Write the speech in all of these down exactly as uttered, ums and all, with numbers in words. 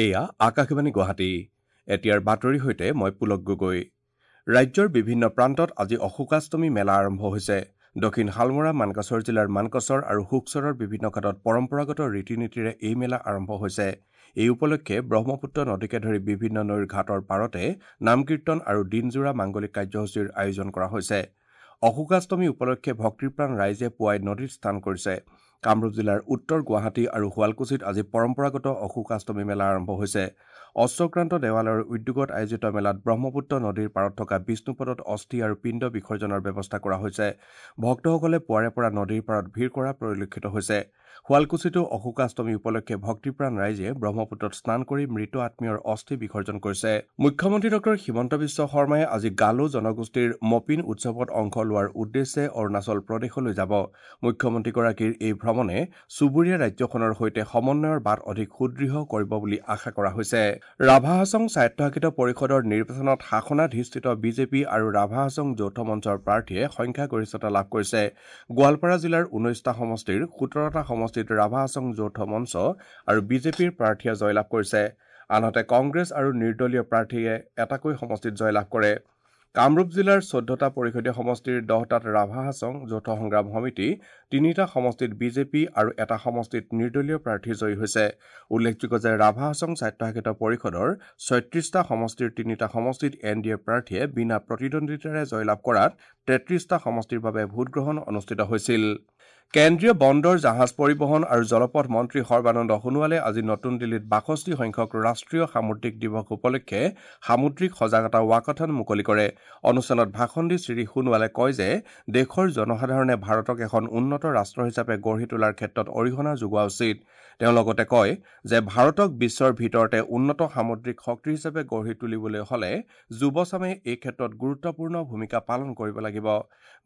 এয়া আকাশবাণী গুৱাহাটী। এতিয়াৰ বাতৰিৰ সৈতে মই পুলক গগৈ। ৰাজ্যৰ বিভিন্ন প্ৰান্তত আজি অশোকাষ্টমী মেলা আৰম্ভ হৈছে। দক্ষিণ শালমৰা, মানকাচৰ জিলাৰ মানকাচৰ আৰু সুখচৰৰ বিভিন্ন ঘাটত পৰম্পৰাগত ৰীতি নীতিৰে এই মেলা আৰম্ভ হৈছে। এই উপলক্ষে ব্ৰহ্মপুত্ৰ নদীকে ধৰি বিভিন্ন নৈৰ ঘাটৰ পাৰতে নাম কীৰ্তন আৰু দিনজোৰা মাংগলিক কাৰ্যসূচীৰ আয়োজন কৰা হৈছে। অশোকাষ্টমী উপলক্ষে ভক্তিপ্ৰাণ ৰাইজে পুৱাই নদীত স্নান কৰিছে। কামৰূপ জিলাৰ উত্তৰ গুৱাহাটী আৰু শুৱালকুছিত আজি পৰম্পৰাগত অশোকাষ্টমী মেলা আৰম্ভ হৈছে। অশ্বক্ৰান্ত দেৱালয়ৰ উদ্যোগত আয়োজিত মেলাত ব্ৰহ্মপুত্ৰ নদীৰ পাৰত থকা বিষ্ণুপদত অস্থি আৰু পিণ্ড বিসৰ্জনৰ ব্যৱস্থা কৰা হৈছে। ভক্তসকলে পুৱাৰে পৰা নদীৰ পাৰত ভিৰ কৰা পৰিলক্ষিত হৈছে। শুৱালকুছিতো অশোকাষ্টমী উপলক্ষে ভক্তিপ্ৰাণ ৰাইজে ব্ৰহ্মপুত্ৰত স্নান কৰি মৃত আত্মীয়ৰ অস্থি বিসৰ্জন কৰিছে। মুখ্যমন্ত্ৰী ডক্টৰ হিমন্ত বিশ্ব শৰ্মাই আজি গালো জনগোষ্ঠীৰ মপিন উৎসৱত অংশ লোৱাৰ উদ্দেশ্যে অৰুণাচল প্ৰদেশলৈ যাব। মুখ্যমন্ত্ৰীগৰাকীৰ এই ভ্ৰমণে চুবুৰীয়া ৰাজ্যখনৰ সৈতে সমন্বয়ৰ বাট অধিক সুদৃঢ় কৰিব বুলি আশা কৰা হৈছে। ৰাভা হাছং স্বায়ত্তশাসিত পৰিষদৰ নিৰ্বাচনত শাসনাধিষ্ঠিত বিজেপি আৰু ৰাভা হাছং যৌথ মঞ্চৰ প্ৰাৰ্থীয়ে সংখ্যাগৰিষ্ঠতা লাভ কৰিছে। গোৱালপাৰা জিলাৰ ঊনৈছটা সমষ্টিৰ সোতৰটা সমষ্টিত ৰাভা হাছং যৌথ মঞ্চ আৰু বিজেপিৰ প্ৰাৰ্থীয়ে জয়লাভ কৰিছে। আনহাতে কংগ্ৰেছ আৰু নিৰ্দলীয় প্ৰাৰ্থীয়ে এটাকৈ সমষ্টিত জয়লাভ কৰে। কামৰূপ জিলাৰ চৈধ্যটা পৰিষদীয় সমষ্টিৰ দহটাত ৰাভা হাছং যৌথ সংগ্ৰাম সমিতি, তিনিটা সমষ্টিত বিজেপি আৰু এটা সমষ্টিত নিৰ্দলীয় প্ৰাৰ্থী জয়ী হৈছে। উল্লেখযোগ্য যে ৰাভা হাছং স্বায়ত্তশাসিত পৰিষদৰ ছয়ত্ৰিছটা সমষ্টিৰ তিনিটা সমষ্টিত এন ডি এ প্ৰাৰ্থীয়ে বিনা প্ৰতিদ্বন্দ্বিতাৰে জয়লাভ কৰাত তেত্ৰিছটা সমষ্টিৰ বাবে ভোটগ্ৰহণ অনুষ্ঠিত হৈছিল। কেন্দ্ৰীয় বন্দৰ, জাহাজ পৰিবহণ আৰু জলপথ মন্ত্ৰী সৰ্বানন্দ সোণোৱালে আজি নতুন দিল্লীত বাষষ্ঠি সংখ্যক ৰাষ্ট্ৰীয় সামুদ্ৰিক দিৱস উপলক্ষে সামুদ্ৰিক সজাগতা ৱাকাথন মুকলি কৰে। অনুষ্ঠানত ভাষণ দি শ্ৰী সোণোৱালে কয় যে দেশৰ জনসাধাৰণে ভাৰতক এখন উন্নত ৰাষ্ট্ৰ হিচাপে গঢ়ি তোলাৰ ক্ষেত্ৰত অৰিহণা যোগোৱা উচিত। তেওঁ লগতে কয় যে ভাৰতক বিশ্বৰ ভিতৰতে উন্নত সামুদ্ৰিক শক্তি হিচাপে গঢ়ি তুলিবলৈ হ'লে যুৱচামে এই ক্ষেত্ৰত গুৰুত্বপূৰ্ণ ভূমিকা পালন কৰিব লাগিব।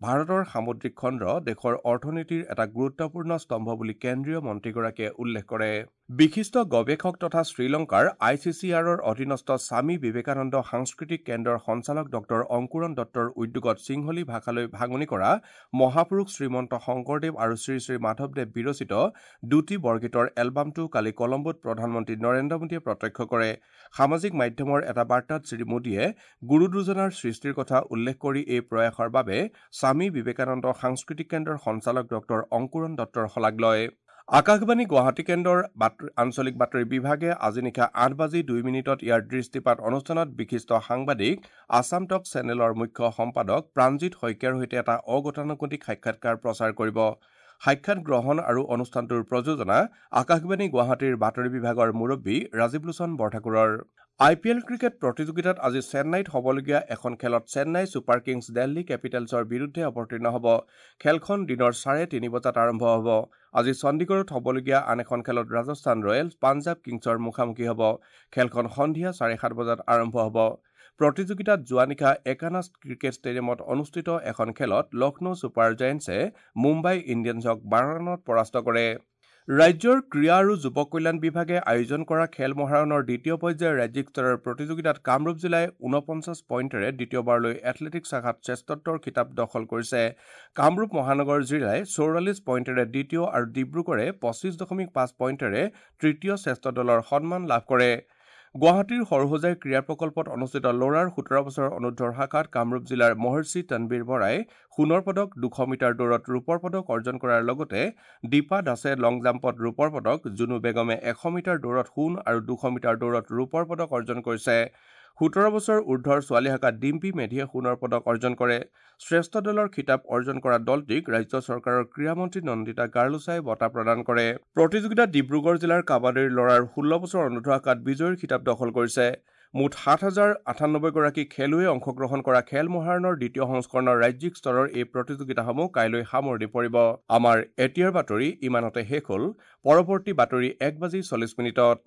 ভাৰতৰ সামুদ্ৰিক খণ্ড দেশৰ অৰ্থনীতিৰ এটা গুৰুত্বপূৰ্ণ স্তম্ভ বুলি কেন্দ্ৰীয় মন্ত্ৰীগৰাকীয়ে উল্লেখ কৰে। বিশিষ্ট গৱেষক তথা শ্ৰীলংকাৰ I C C আৰৰ অধীনস্থ স্বামী বিবেকানন্দ সাংস্কৃতিক কেন্দ্ৰৰ সঞ্চালক ডক্টৰ অংকুৰণ দত্তৰ উদ্যোগত সিংহলী ভাষালৈ ভাঙনি কৰা মহাপুৰুষ শ্ৰীমন্ত শংকৰদেৱ আৰু শ্ৰী শ্ৰী মাধৱদেৱ বিৰচিত দুটি বৰগীতৰ এলবামটো কালি কলম্বোত প্ৰধানমন্ত্ৰী নৰেন্দ্ৰ মোদীয়ে প্ৰত্যক্ষ কৰে। সামাজিক মাধ্যমৰ এটা বাৰ্তাত শ্ৰী মোদীয়ে গুৰু দুজনাৰ সৃষ্টিৰ কথা উল্লেখ কৰি এই প্ৰয়াসৰ বাবে স্বামী বিবেকানন্দ সাংস্কৃতিক কেন্দ্ৰৰ সঞ্চালক ডক্টৰ অংকুৰণ দত্তৰ শলাগ লয়। আকাশবাণী গুৱাহাটী কেন্দ্ৰৰ আঞ্চলিক বাতৰি বিভাগে আজি নিশা আঠ বাজি দুই মিনিটত ইয়াৰ দৃষ্টিপাত অনুষ্ঠানত বিশিষ্ট সাংবাদিক আছাম টক চেনেলৰ মুখ্য সম্পাদক প্ৰাণজিৎ শইকীয়াৰ সৈতে এটা অগতানুগতিক সাক্ষাৎকাৰ প্ৰচাৰ কৰিব। সাক্ষাৎ গ্ৰহণ আৰু অনুষ্ঠানটোৰ প্ৰযোজনা আকাশবাণী গুৱাহাটীৰ বাতৰি বিভাগৰ মুৰব্বী ৰাজীৱ লোচন বৰঠাকুৰৰ। আই পি এল ক্ৰিকেট প্ৰতিযোগিতাত আজি চেন্নাইত হ'বলগীয়া এখন খেলত চেন্নাই ছুপাৰ কিংছ দিল্লী কেপিটেলছৰ বিৰুদ্ধে অৱতীৰ্ণ হ'ব। খেলখন দিনৰ চাৰে তিনি বজাত আৰম্ভ হ'ব। আজি চণ্ডীগড়ত হ'বলগীয়া আন এখন খেলত ৰাজস্থান ৰয়েলছ পাঞ্জাৱ কিংছৰ মুখামুখি হ'ব। খেলখন সন্ধিয়া চাৰে সাত বজাত আৰম্ভ হ'ব। প্ৰতিযোগিতাত যোৱা নিশা একানাছ ক্ৰিকেট ষ্টেডিয়ামত অনুষ্ঠিত এখন খেলত লক্ষ্ণৌ ছুপাৰ জায়েণ্টছে মুম্বাই ইণ্ডিয়ানছক বাৰ ৰানত পৰাস্ত কৰে। ৰাজ্যৰ ক্ৰীড়া আৰু যুৱ কল্যাণ বিভাগে আয়োজন কৰা খেল মহাৰণৰ দ্বিতীয় পৰ্যায়ৰ ৰাজ্যিক স্তৰৰ প্ৰতিযোগিতাত কামৰূপ জিলাই ঊনপঞ্চাছ পইণ্টেৰে দ্বিতীয়বাৰলৈ এথলেটিকছ শাখাত শ্ৰেষ্ঠত্বৰ খিতাপ দখল কৰিছে। কামৰূপ মহানগৰ জিলাই চৌৰাল্লিছ পইণ্টেৰে দ্বিতীয় আৰু ডিব্ৰুগড়ে পঁচিছ দশমিক পাঁচ পইণ্টেৰে তৃতীয় শ্ৰেষ্ঠ দলৰ সন্মান লাভ কৰে। গুৱাহাটীৰ সৰুসজাই ক্ৰীড়া প্ৰকল্পত অনুষ্ঠিত ল'ৰাৰ সোতৰ বছৰৰ অনুৰ্ধৰ শাখাত কামৰূপ জিলাৰ মহৰ্ষি তনবীৰ বৰাই সোণৰ পদক, দুশ মিটাৰ দৌৰত ৰূপৰ পদক অৰ্জন কৰাৰ লগতে দীপা দাসে লং জাম্পত ৰূপৰ পদক, জুনু বেগমে এশ মিটাৰ দৌৰত সোণ আৰু দুশ মিটাৰ দৌৰত ৰূপৰ পদক অৰ্জন কৰিছে। সোতৰ বছৰ ঊৰ্ধৰ ছোৱালী শাখাত ডিম্পী মেধিয়ে সোণৰ পদক অৰ্জন কৰে। শ্ৰেষ্ঠ দলৰ খিতাপ অৰ্জন কৰা দলটিক ৰাজ্য চৰকাৰৰ ক্ৰীড়ামন্ত্ৰী নন্দিতা গাৰ্লোচাই বঁটা প্ৰদান কৰে। প্ৰতিযোগিতাত ডিব্ৰুগড় জিলাৰ কাবাডীৰ ল'ৰাৰ ষোল্ল বছৰ অনুৰ্ধ শাখাত বিজয়ীৰ খিতাপ দখল কৰিছে। মুঠ সাত হাজাৰ আঠানব্বৈগৰাকী খেলুৱৈয়ে অংশগ্ৰহণ কৰা খেল মহাৰণৰ দ্বিতীয় সংস্কৰণৰ ৰাজ্যিক স্তৰৰ এই প্ৰতিযোগিতাসমূহ কাইলৈ সামৰণি পৰিব। আমাৰ এতিয়াৰ বাতৰি ইমানতে শেষ হ'ল। পৰৱৰ্তী বাতৰি এক বাজি চল্লিছ মিনিটত।